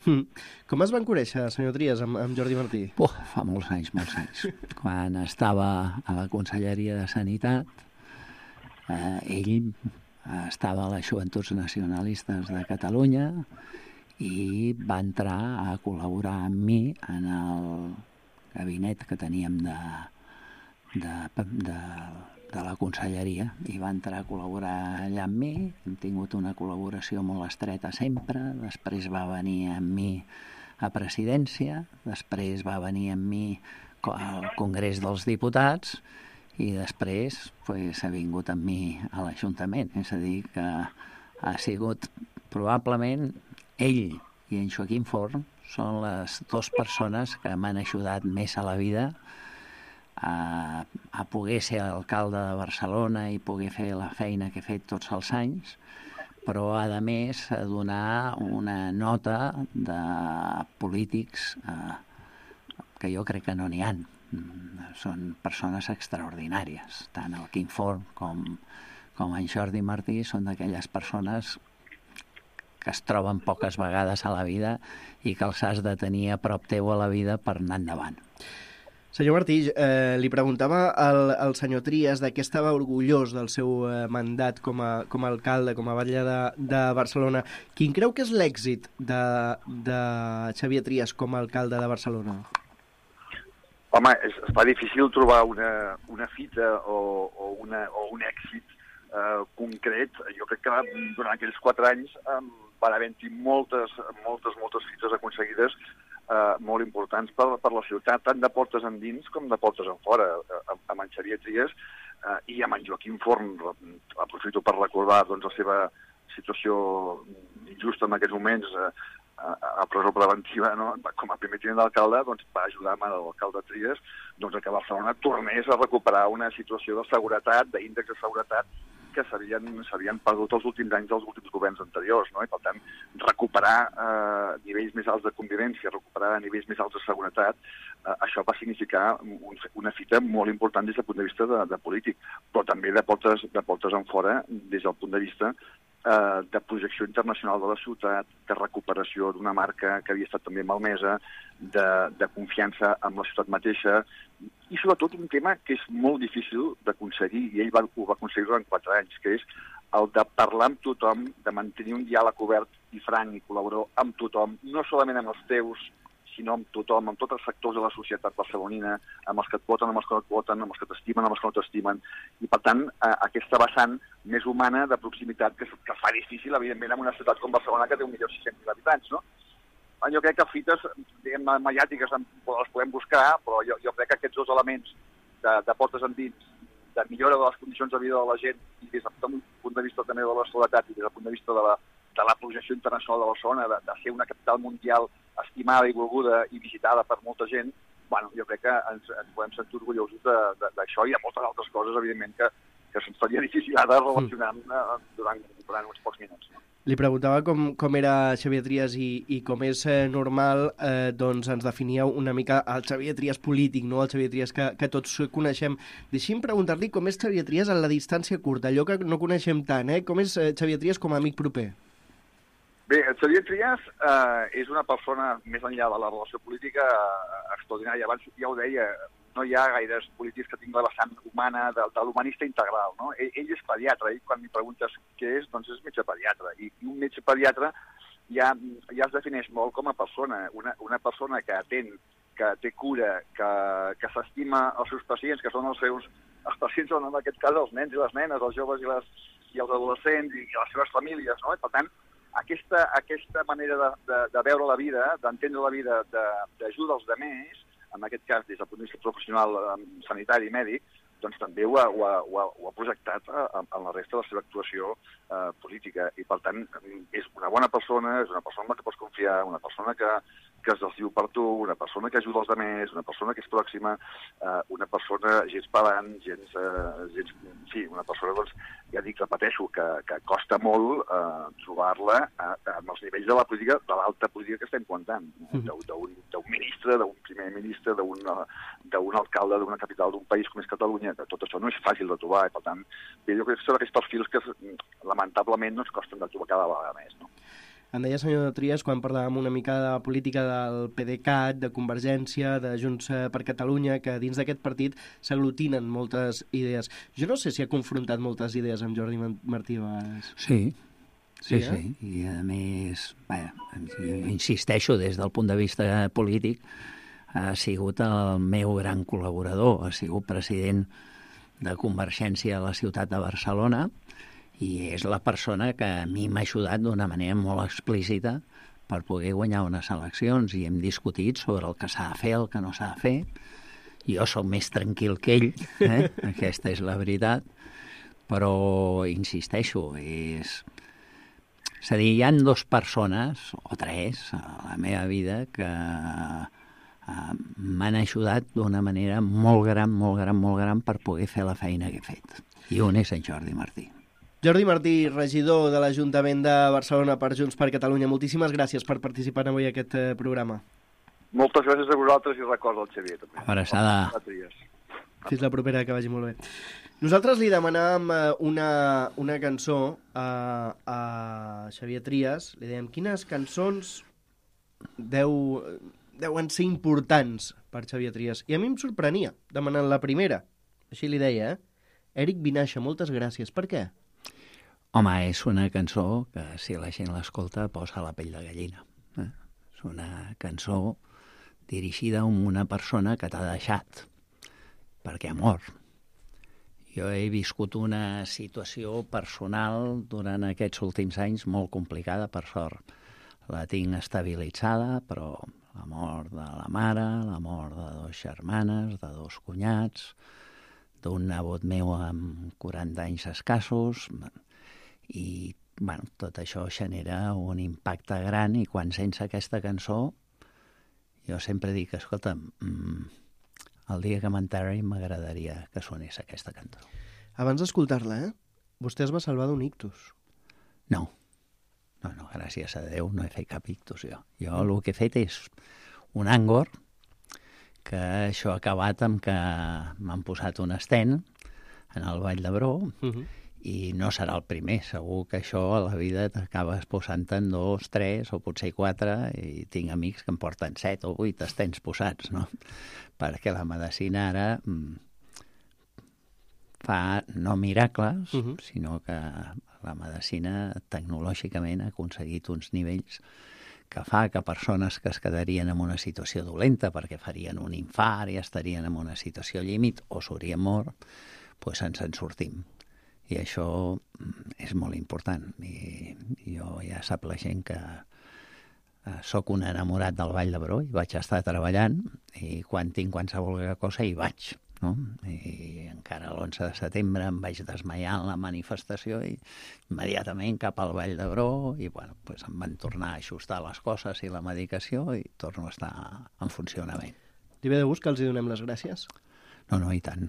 Mm. Com es van conèixer, senyor Trias, amb, amb Jordi Martí? Oh, fa molts anys, molts anys. Quan estava a la Conselleria de Sanitat, eh, ell estava a les Joventuts Nacionalistes de Catalunya i va entrar a col·laborar amb mi en el gabinet que teníem de, de, de, de la Conselleria i va entrar a col·laborar allà amb mi. Hem tingut una col·laboració molt estreta sempre. Després va venir amb mi a presidència, després va venir amb mi al Congrés dels Diputats i després pues, ha vingut amb mi a l'Ajuntament. És a dir, que ha sigut probablement ell i en Joaquim Forn són les dues persones que m'han ajudat més a la vida A, a poder ser alcalde de Barcelona i poder fer la feina que he fet tots els anys, però a més a donar una nota de polítics eh, que jo crec que no n'hi ha. Són persones extraordinàries, tant el Quim Forn com, com en Jordi Martí són d'aquelles persones que es troben poques vegades a la vida i que els has de tenir a prop teu a la vida per anar endavant. Senyor Martí, eh, li preguntava al, al senyor Trias de què estava orgullós del seu eh, mandat com a, com a alcalde, com a batlle de, de Barcelona. Quin creu que és l'èxit de, de Xavier Trias com a alcalde de Barcelona? Home, és, es fa difícil trobar una, una fita o, o, una, o un èxit eh, concret. Jo crec que durant aquells quatre anys eh, van haver-hi moltes, moltes, moltes fites aconseguides eh, molt importants per, per la ciutat, tant de portes endins com de portes en fora. Eh, amb en Xavier Trias eh, i amb en Joaquim Forn, aprofito per recordar doncs, la seva situació injusta en aquests moments, eh, a presó preventiva, no? Com a primer tinent d'alcalde, doncs, va ajudar amb l'alcalde Trias doncs, que Barcelona tornés a recuperar una situació de seguretat, d'índex de seguretat, que s'havien perdut els últims anys dels últims governs anteriors, no? I per tant, recuperar eh, nivells més alts de convivència, recuperar nivells més alts de seguretat, eh, això va significar un, una fita molt important des del punt de vista de, de polític, però també de portes, de portes en fora des del punt de vista eh, de projecció internacional de la ciutat, de recuperació d'una marca que havia estat també malmesa, de, de confiança amb la ciutat mateixa, i sobretot un tema que és molt difícil d'aconseguir, i ell va, ho va aconseguir durant quatre anys, que és el de parlar amb tothom, de mantenir un diàleg obert i franc i col·laborador amb tothom, no solament amb els teus, sinó amb tothom, amb tots els sectors de la societat barcelonina, amb els que et voten, amb els que no et voten, amb els que t'estimen, amb els que no t'estimen. I, per tant, eh, aquesta vessant més humana de proximitat que, que fa difícil, evidentment, en una ciutat com Barcelona, que té un milió sis-cents mil habitants, no? Jo crec que fites, diguem, mediàtiques les podem buscar, però jo, jo crec que aquests dos elements de, de portes endins, de millora de les condicions de vida de la gent, i des del punt de vista també de la seguretat i des del punt de vista de la, de la projecció internacional de Barcelona, de, de ser una capital mundial estimada i volguda i visitada per molta gent, bueno, jo crec que ens, ens podem sentir orgullosos d'això i de moltes altres coses, evidentment, que, que se'ns faria difícil ara relacionar durant, durant uns pocs minuts. No? Li preguntava com, com era Xavier Trias i, i com és eh, normal, eh, doncs ens definíeu una mica el Xavier Trias polític, no el Xavier Trias que, que tots coneixem. Deixi'm preguntar-li com és Xavier Trias en la distància curta, allò que no coneixem tant, eh? Com és eh, Xavier Trias com a amic proper? Bé, el Xavier Trias eh, és una persona, més enllà de la relació política, eh, extraordinària. Abans ja ho deia, no hi ha gaires polítics que tinguin la vessant humana, de, de l'humanista integral, no? Ell, ell és pediatre, i quan m'hi preguntes què és, doncs és metge pediatre. I, i un metge pediatre ja, ja es defineix molt com a persona, una, una persona que atén, que té cura, que, que s'estima els seus pacients, que són els seus... Els pacients són, en aquest cas, els nens i les nenes, els joves i, les, i els adolescents i, i les seves famílies, no? I, per tant, aquesta, aquesta manera de, de, de veure la vida, d'entendre la vida, d'ajuda als altres, en aquest cas, des del punt de vista professional, sanitari i mèdic, doncs també ho ha, ho ha, ho ha, ho ha projectat en la resta de la seva actuació eh, política. I, per tant, és una bona persona, és una persona en la que pots confiar, una persona que, que es desdiu per tu, una persona que ajuda els altres, una persona que és pròxima, eh, una persona gens pedant, gens, eh, gens... Sí, una persona, doncs, ja dic, repeteixo, que, que costa molt eh, trobar-la amb els nivells de la política, de l'alta política que estem comentant, d'un ministre, d'un primer ministre, d'un alcalde d'una capital d'un país com és Catalunya, que tot això no és fàcil de trobar, i per tant, bé, jo crec que són aquests perfils que lamentablement no ens costen de trobar cada vegada més, no? Em deia, senyor Trias, quan parlàvem una mica de la política del PDeCAT, de Convergència, de Junts per Catalunya, que dins d'aquest partit s'aglutinen moltes idees. Jo no sé si ha confrontat moltes idees amb Jordi Martí a vegades. Sí, sí, sí, eh? sí. I a més, bé, insisteixo, des del punt de vista polític, ha sigut el meu gran col·laborador, ha sigut president de Convergència a la ciutat de Barcelona, i és la persona que a mi m'ha ajudat d'una manera molt explícita per poder guanyar unes eleccions, i hem discutit sobre el que s'ha de fer, el que no s'ha de fer. Jo sóc més tranquil que ell, eh? Aquesta és la veritat, però insisteixo, és... És a dir, hi ha dues persones, o tres, a la meva vida, que uh, m'han ajudat d'una manera molt gran, molt gran, molt gran per poder fer la feina que he fet. I un és en Jordi Martí. Jordi Martí, regidor de l'Ajuntament de Barcelona per Junts per Catalunya, moltíssimes gràcies per participar avui en aquest eh, programa. Moltes gràcies a vosaltres i recorda el Xavier, també. Abraçada. Fins la propera, que vagi molt bé. Nosaltres li demanàvem una, una cançó a, a Xavier Trias. Li dèiem, quines cançons deu, deuen ser importants per Xavier Trias? I a mi em sorprenia, demanant la primera. Així li deia, eh? Eric Vinaixa, moltes gràcies. Per què? Home, és una cançó que, si la gent l'escolta, posa la pell de gallina. Eh? És una cançó dirigida a una persona que t'ha deixat, perquè ha mort. Jo he viscut una situació personal durant aquests últims anys molt complicada, per sort. La tinc estabilitzada, però la mort de la mare, la mort de dos germanes, de dos cunyats, d'un nebot meu amb quaranta anys escassos, i bueno, tot això genera un impacte gran, i quan sents aquesta cançó, jo sempre dic, escolta, mmm, el dia que m'enterri m'agradaria que sonés aquesta cançó. Abans d'escoltar-la, eh? Vostè es va salvar d'un ictus. No. No, no, gràcies a Déu no he fet cap ictus, jo. Jo el que he fet és un àngor, que això ha acabat amb que m'han posat un estent en el Vall d'Hebron, uh-huh. i no serà el primer. Segur que això a la vida t'acabes posant-te'n dos, tres o potser quatre, i tinc amics que em porten set o vuit estents posats, no? Perquè la medicina ara mm, fa no miracles, uh-huh. sinó que la medicina tecnològicament ha aconseguit uns nivells que fa que persones que es quedarien en una situació dolenta perquè farien un infart i estarien en una situació límit o s'haurien mort, doncs ens en sortim. I això és molt important. I jo ja sap la gent que eh, sóc un enamorat del Vall d'Hebron i vaig estar treballant, i quan tinc qualsevol cosa hi vaig, no? I encara l'onze de setembre em vaig desmaiar en la manifestació i immediatament cap al Vall d'Hebron, i bueno, pues em van tornar a ajustar les coses i la medicació i torno a estar en funcionament. Li ve de gust que els hi donem les gràcies? No, no, i tant.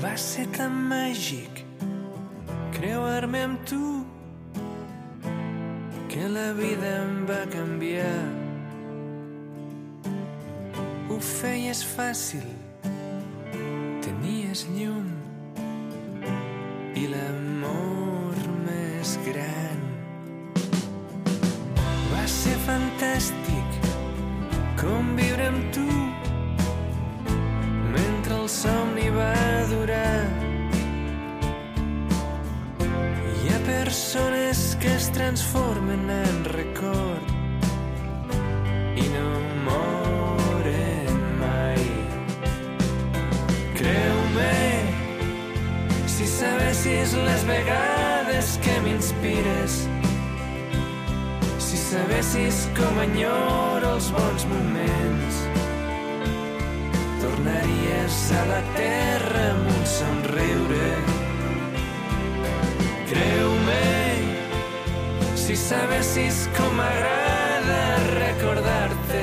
Va ser tan màgic creuar-me amb tu que la vida em va canviar. Ho feies fàcil, tenies llum i l'amor més gran. Va ser fantàstic conviure amb tu mentre el somni va durar. Hi ha persones que es transformen en record i no moren mai. Creu-me, si sabessis les vegades que m'inspires, si sabessis com enyoro els bons moments, tornaries a la terra amb un somriure. Creu-me, si sabessis com m'agrada recordar-te,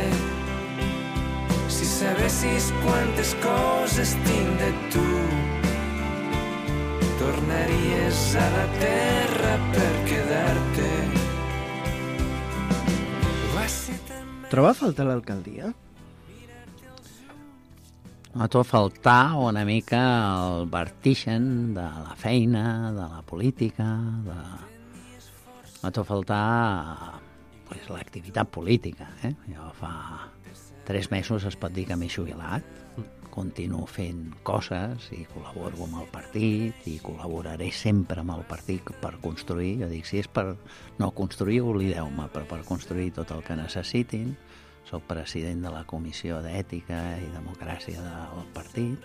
si sabessis quantes coses tinc de tu, tornaries a la terra per quedar-te. Troba a faltar l'alcaldia? A tot faltar una mica el vertigen de la feina, de la política, de... a tot faltar pues, l'activitat política. Eh? Jo fa tres mesos es pot dir que m'he jubilat, continuo fent coses i col·laboro amb el partit i col·laboraré sempre amb el partit per construir. Jo dic, si és per no construir, oblideu-me, però per construir tot el que necessitin. Soc president de la Comissió d'Ètica i Democràcia del partit,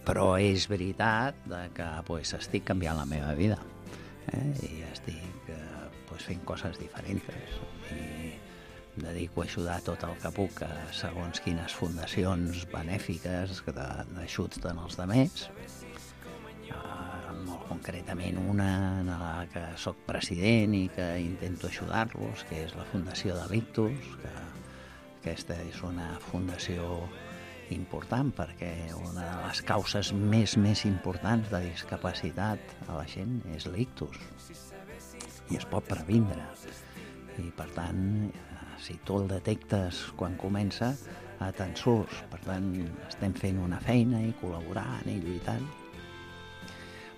però és veritat que pues, estic canviant la meva vida, eh? I estic eh, pues, fent coses diferents, i em dedico a ajudar tot el que puc a segons quines fundacions benèfiques d'ajuts als altres, uh, molt concretament una en la que soc president i que intento ajudar-los, que és la Fundació de l'Ictus, que aquesta és una fundació important, perquè una de les causes més, més importants de discapacitat a la gent és l'ictus, i es pot previndre. I, per tant, si tu el detectes quan comença, te'n surts. Per tant, estem fent una feina i col·laborant i lluitant.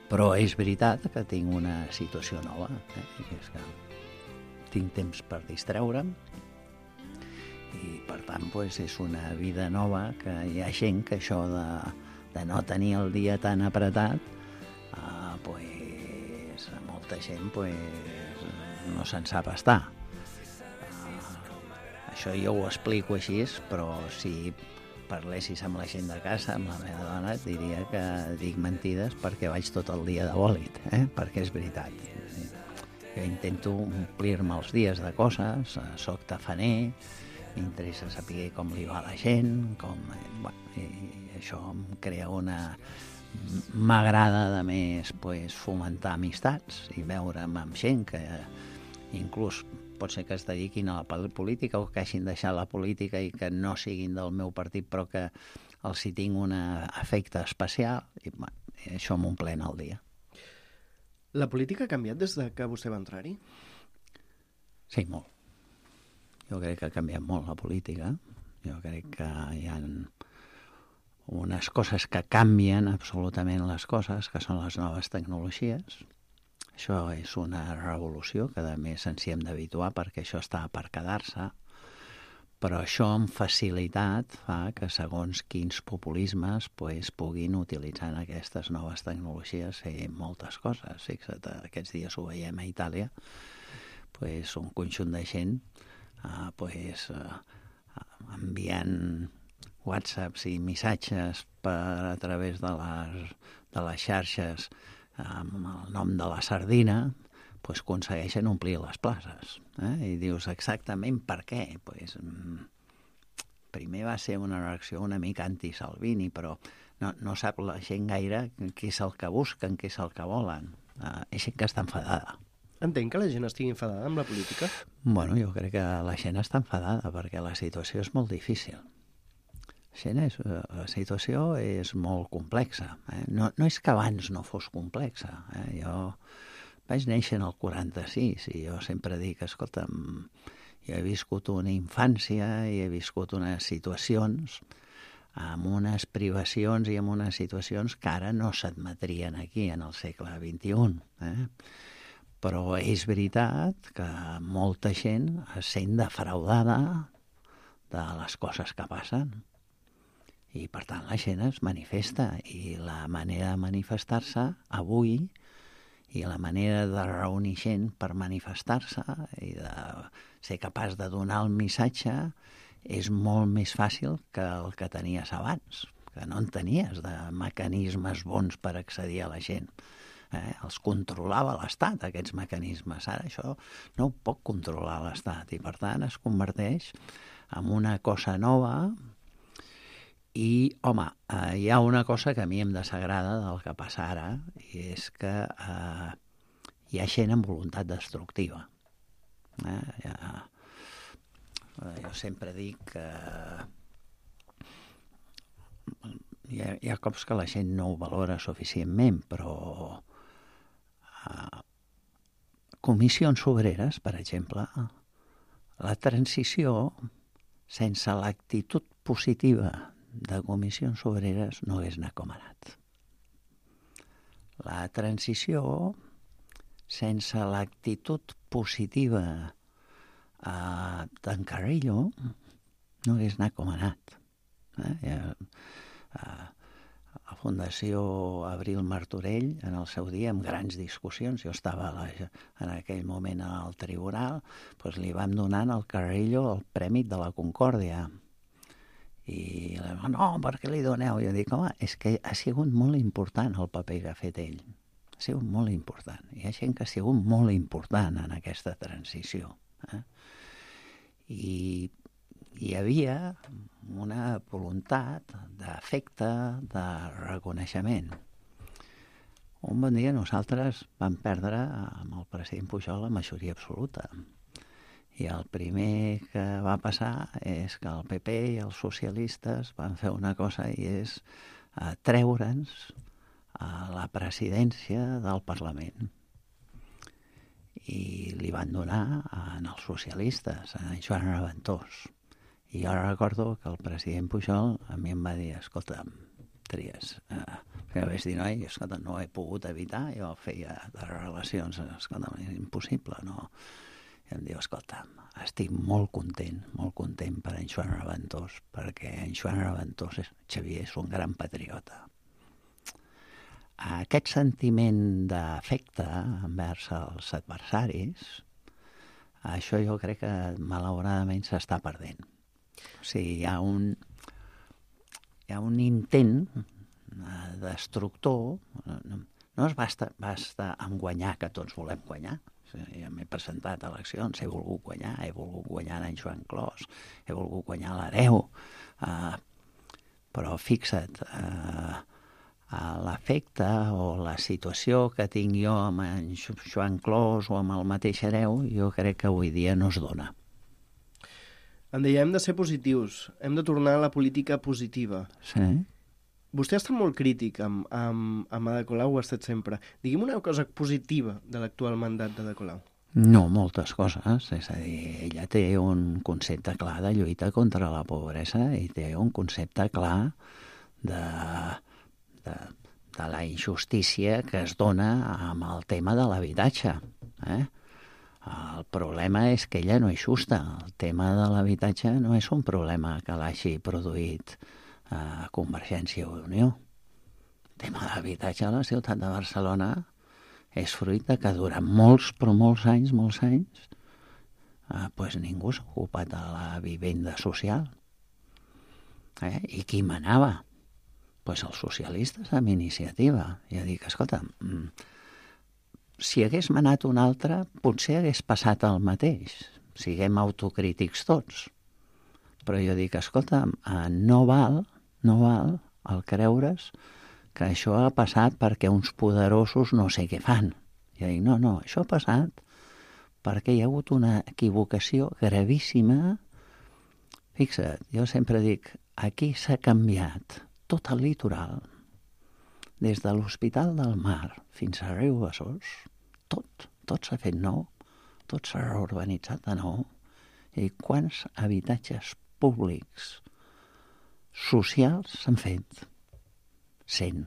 Però és veritat que tinc una situació nova, eh? I és que tinc temps per distreure'm, i per tant pues, és una vida nova, que hi ha gent que això de, de no tenir el dia tan apretat, uh, pues, molta gent pues, no se'n sap estar. Uh, això jo ho explico així, però si parlessis amb la gent de casa, amb la meva dona, et diria que dic mentides perquè vaig tot el dia de bòlit, eh? Perquè és veritat. Jo intento omplir-me els dies de coses, soc tafaner, m'interessa saber com li va a la gent, com, bueno, i això em crea una... M'agrada, a més, pues, fomentar amistats i veure'm amb gent que inclús pot ser que es dediquin a la política o que hagin deixat la política i que no siguin del meu partit, però que els hi tinc un afecte especial, i bueno, això m'omplena el dia. La política ha canviat des de que vostè va entrar-hi? Sí, molt. Jo crec que ha canviat molt la política. Jo crec que hi ha unes coses que canvien absolutament les coses, que són les noves tecnologies. Això és una revolució que, a més, ens hi hem d'habituar perquè això està per quedar-se, però això amb facilitat fa que segons quins populismes pues, puguin utilitzar aquestes noves tecnologies fer moltes coses. Fixa't, aquests dies ho veiem a Itàlia, pues, un conjunt de gent Uh, pues, uh, enviant whatsapps i missatges per a través de les, de les xarxes amb el nom de la sardina, pues, aconsegueixen omplir les places. Eh? I dius exactament per què. Pues, mm, primer va ser una reacció una mica anti-Salvini, però no, no sap la gent gaire què és el que busquen, què és el que volen. Uh, és gent que està enfadada. Entenc que la gent estigui enfadada amb la política? Bueno, jo crec que la gent està enfadada perquè la situació és molt difícil. La, gent és, la situació és molt complexa. Eh? No, no és que abans no fos complexa. Eh? Jo vaig néixer en el quaranta-sis i jo sempre dic, escolta'm, jo he viscut una infància i he viscut unes situacions amb unes privacions i amb unes situacions que ara no s'admetrien aquí en el segle vint-i-un. Eh? Però és veritat que molta gent es sent defraudada de les coses que passen. I, per tant, la gent es manifesta. I la manera de manifestar-se avui i la manera de reunir gent per manifestar-se i de ser capaç de donar el missatge és molt més fàcil que el que tenies abans, que no en tenies de mecanismes bons per accedir a la gent. Eh, els controlava l'Estat, aquests mecanismes. Ara això no ho pot controlar l'Estat i, per tant, es converteix en una cosa nova i, home, eh, hi ha una cosa que a mi em desagrada del que passa ara i és que eh, hi ha gent amb voluntat destructiva. Eh, ja, eh, jo sempre dic que hi ha, hi ha cops que la gent no ho valora suficientment, però comissions obreres, per exemple, la transició sense l'actitud positiva de comissions obreres no hagués anat com ha anat. La transició sense l'actitud positiva eh, d'en Carrillo no hagués anat com ha anat. Eh? Eh, la Fundació Abril Martorell, en el seu dia, amb grans discussions, jo estava la, en aquell moment al tribunal, doncs li vam donar al Carrillo el Premi de la Concòrdia. I no, per què li doneu? Jo dic, home, és que ha sigut molt important el paper que ha fet ell. Ha sigut molt important. Hi ha gent que ha sigut molt important en aquesta transició. Eh? I hi havia una voluntat d'afecte, de reconeixement. Un bon dia nosaltres vam perdre amb el president Pujol la majoria absoluta. I el primer que va passar és que el P P i els socialistes van fer una cosa i és uh, treure'ns a la presidència del Parlament. I li van donar en els socialistes, a en Joan Reventós. I jo recordo que el president Pujol a mi em va dir, escolta, Trias, eh, que vaig dir, noi, escolta, no he pogut evitar, jo feia de relacions, escolta, és impossible, no? I em diu, escolta, estic molt content, molt content per en Joan Reventós, perquè en Joan Reventós, és, Xavier, és un gran patriota. Aquest sentiment d'afecte envers els adversaris, això jo crec que malauradament s'està perdent. O sigui, hi ha un, hi ha un intent destructor, no, no es basta, basta amb guanyar, que tots volem guanyar. O sigui, ja m'he presentat a eleccions, he volgut guanyar, he volgut guanyar en Joan Clos, he volgut guanyar l'Hereu, uh, però fixa't, uh, l'efecte o la situació que tinc jo amb en Joan Clos o amb el mateix Hereu, jo crec que avui dia no es dona. Em deia, hem de ser positius, hem de tornar a la política positiva. Sí. Vostè ha estat molt crític amb, amb, amb Ada Colau, ho ha estat sempre. Digui'm una cosa positiva de l'actual mandat d'Ada Colau. No, moltes coses. És a dir, ella té un concepte clar de lluita contra la pobresa i té un concepte clar de... De, de la injustícia que es dona amb el tema de l'habitatge. Eh? El problema és que ella no és justa. El tema de l'habitatge no és un problema que l'hagi produït eh, Convergència i Unió. El tema de l'habitatge a la ciutat de Barcelona és fruit de que durant molts, però molts anys, molts anys, eh, pues ningú s'ha ocupat de la vivenda social. Eh? I qui manava? Pues els socialistes amb iniciativa. Jo dic, escolta, si hagués manat un altre, potser hagués passat el mateix. Siguem autocrítics tots. Però jo dic, escolta, no val, no val el creure's que això ha passat perquè uns poderosos no sé què fan. Jo dic, no, no, això ha passat perquè hi ha hagut una equivocació gravíssima. Fixa't, jo sempre dic, aquí s'ha canviat tot el litoral, des de l'Hospital del Mar fins a Riu Besòs, tot, tot s'ha fet nou, tot s'ha reurbanitzat de nou. I quants habitatges públics socials s'han fet? Cent.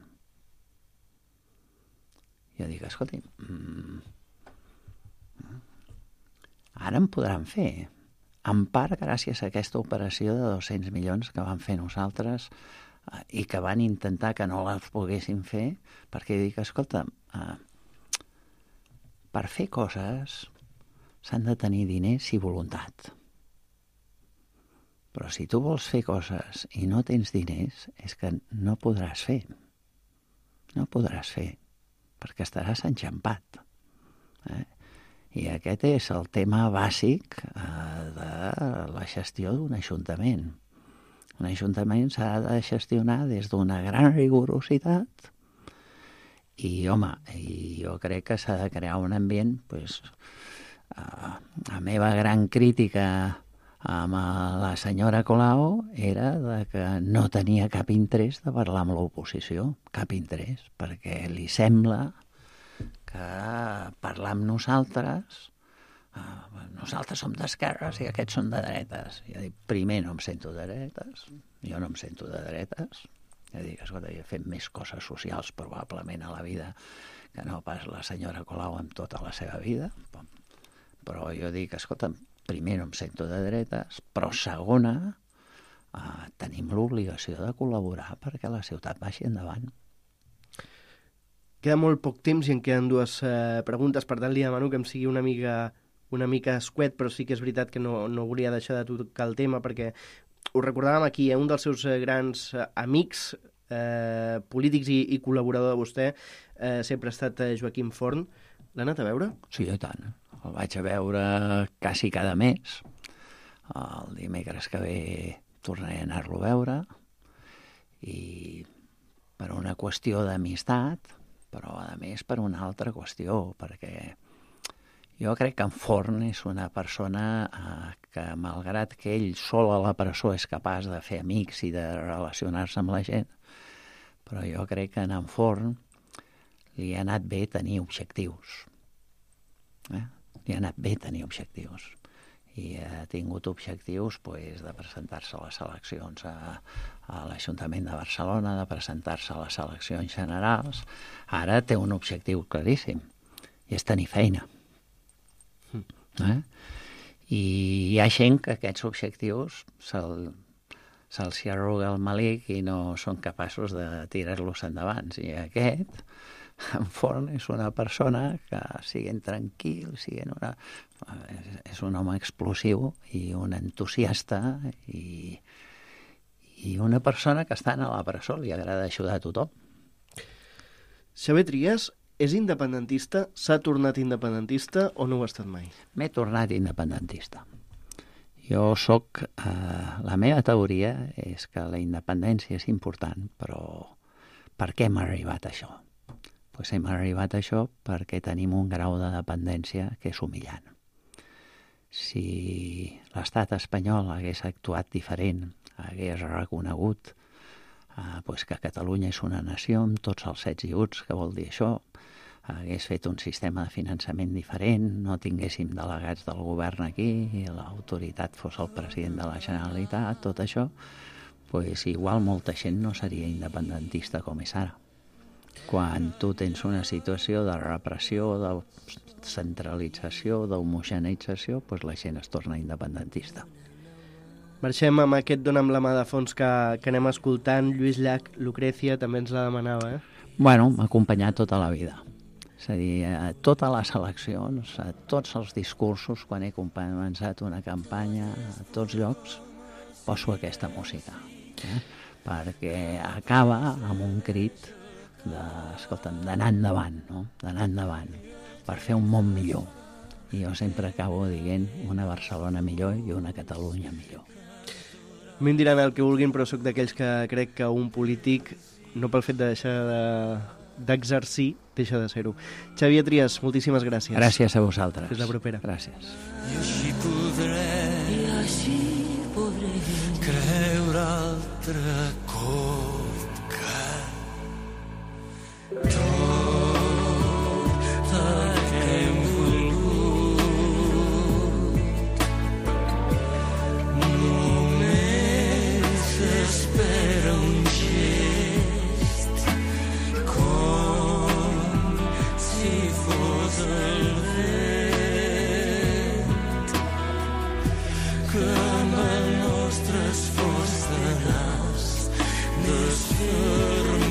Jo dic, escolti, mm, ara en podran fer, en part gràcies a aquesta operació de dos-cents milions que vam fer nosaltres i que van intentar que no les poguessin fer, perquè dic, escolta, eh, per fer coses s'han de tenir diners i voluntat. Però si tu vols fer coses i no tens diners, és que no podràs fer. No podràs fer, perquè estaràs enxampat. Eh? I aquest és el tema bàsic eh, de la gestió d'un ajuntament. Un ajuntament s'ha de gestionar des d'una gran rigorositat i, home, i jo crec que s'ha de crear un ambient, pues, uh, la meva gran crítica amb la senyora Colau era de que no tenia cap interès de parlar amb l'oposició, cap interès, perquè li sembla que parlar amb nosaltres... Uh, nosaltres som d'esquerres i aquests són de dretes. Jo dic, primer no em sento de dretes, jo no em sento de dretes. Jo dic, escolta, jo he fet més coses socials probablement a la vida que no pas la senyora Colau amb tota la seva vida. Però jo dic, escolta, primer no em sento de dretes, però segona, uh, tenim l'obligació de col·laborar perquè la ciutat vagi endavant. Queda molt poc temps i en queden dues eh, preguntes, per tant li demano que em sigui una mica... una mica escuet, però sí que és veritat que no, no volia deixar de tocar el tema, perquè ho recordàvem aquí, eh? Un dels seus grans amics eh, polítics i, i col·laborador de vostè eh, sempre ha estat Joaquim Forn. L'ha anat a veure? Sí, i tant. El vaig a veure quasi cada mes. El dimecres que ve tornaré a anar-lo a veure i per una qüestió d'amistat, però a més per una altra qüestió, perquè Jo crec que en Forn és una persona eh, que, malgrat que ell sol a la presó és capaç de fer amics i de relacionar-se amb la gent, però jo crec que en Forn li ha anat bé tenir objectius. Eh? Li ha anat bé tenir objectius. I ha tingut objectius pues, de presentar-se a les eleccions a, a l'Ajuntament de Barcelona, de presentar-se a les eleccions generals. Ara té un objectiu claríssim, i és tenir feina. Eh? I hi ha gent que aquests objectius se'l, se'ls hi arruga el malic i no són capaços de tirar-los endavant. I aquest, en Forn, és una persona que siguin tranquil, siguin una... és un home explosiu i un entusiasta i, i una persona que està a la presó, li agrada ajudar a tothom. Xavier Trias és independentista, s'ha tornat independentista o no ho ha estat mai? M'he tornat independentista. Jo soc... Eh, la meva teoria és que la independència és important, però per què hem arribat a això? Pues hem arribat a això perquè tenim un grau de dependència que és humillant. Si l'estat espanyol hagués actuat diferent, hagués reconegut eh, pues que Catalunya és una nació amb tots els sets i uts, que vol dir això, hagués fet un sistema de finançament diferent, no tinguéssim delegats del govern aquí, i l'autoritat fos el president de la Generalitat, tot això, pues igual molta gent no seria independentista com és ara. Quan tu tens una situació de repressió, de centralització, d'homogeneïtzació, doncs la gent es torna independentista. Marxem amb aquest Dona'm la mà de fons que, que anem escoltant. Lluís Llach, Lucrecia, també ens la demanava, eh? Bueno, m'ha acompanyat tota la vida. És a dir, a totes les eleccions, a tots els discursos, quan he començat una campanya, a tots llocs, poso aquesta música. Eh? Perquè acaba amb un crit de, escolta'm, d'anar endavant, no? D'anar endavant, per fer un món millor. I jo sempre acabo dient una Barcelona millor i una Catalunya millor. A mi em diran el que vulguin, però sóc d'aquells que crec que un polític, no pel fet de deixar de, d'exercir, deixa de ser-ho. Xavier Trias, moltíssimes gràcies. Gràcies a vosaltres. Fins la propera. Gràcies. I així podré, i així podré creure altre cop que tot el que hem volgut només espera un gest, com si fos el vent que amb el nostre esforç tenaç desfermarà.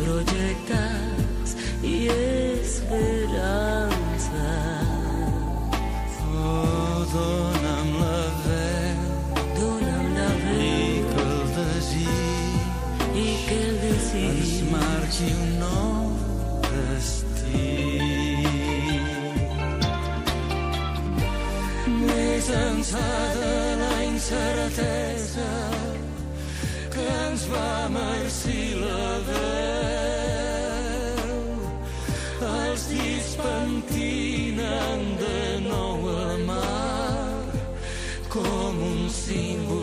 Projectes i esperances. Oh, dona'm la veu, dona'm la veu, i que el desig, i que el desig ens marqui un nou destí. Més ençà de la incertesa que ens va marcir la veu, els dits pentinen de nou al mar com un símbol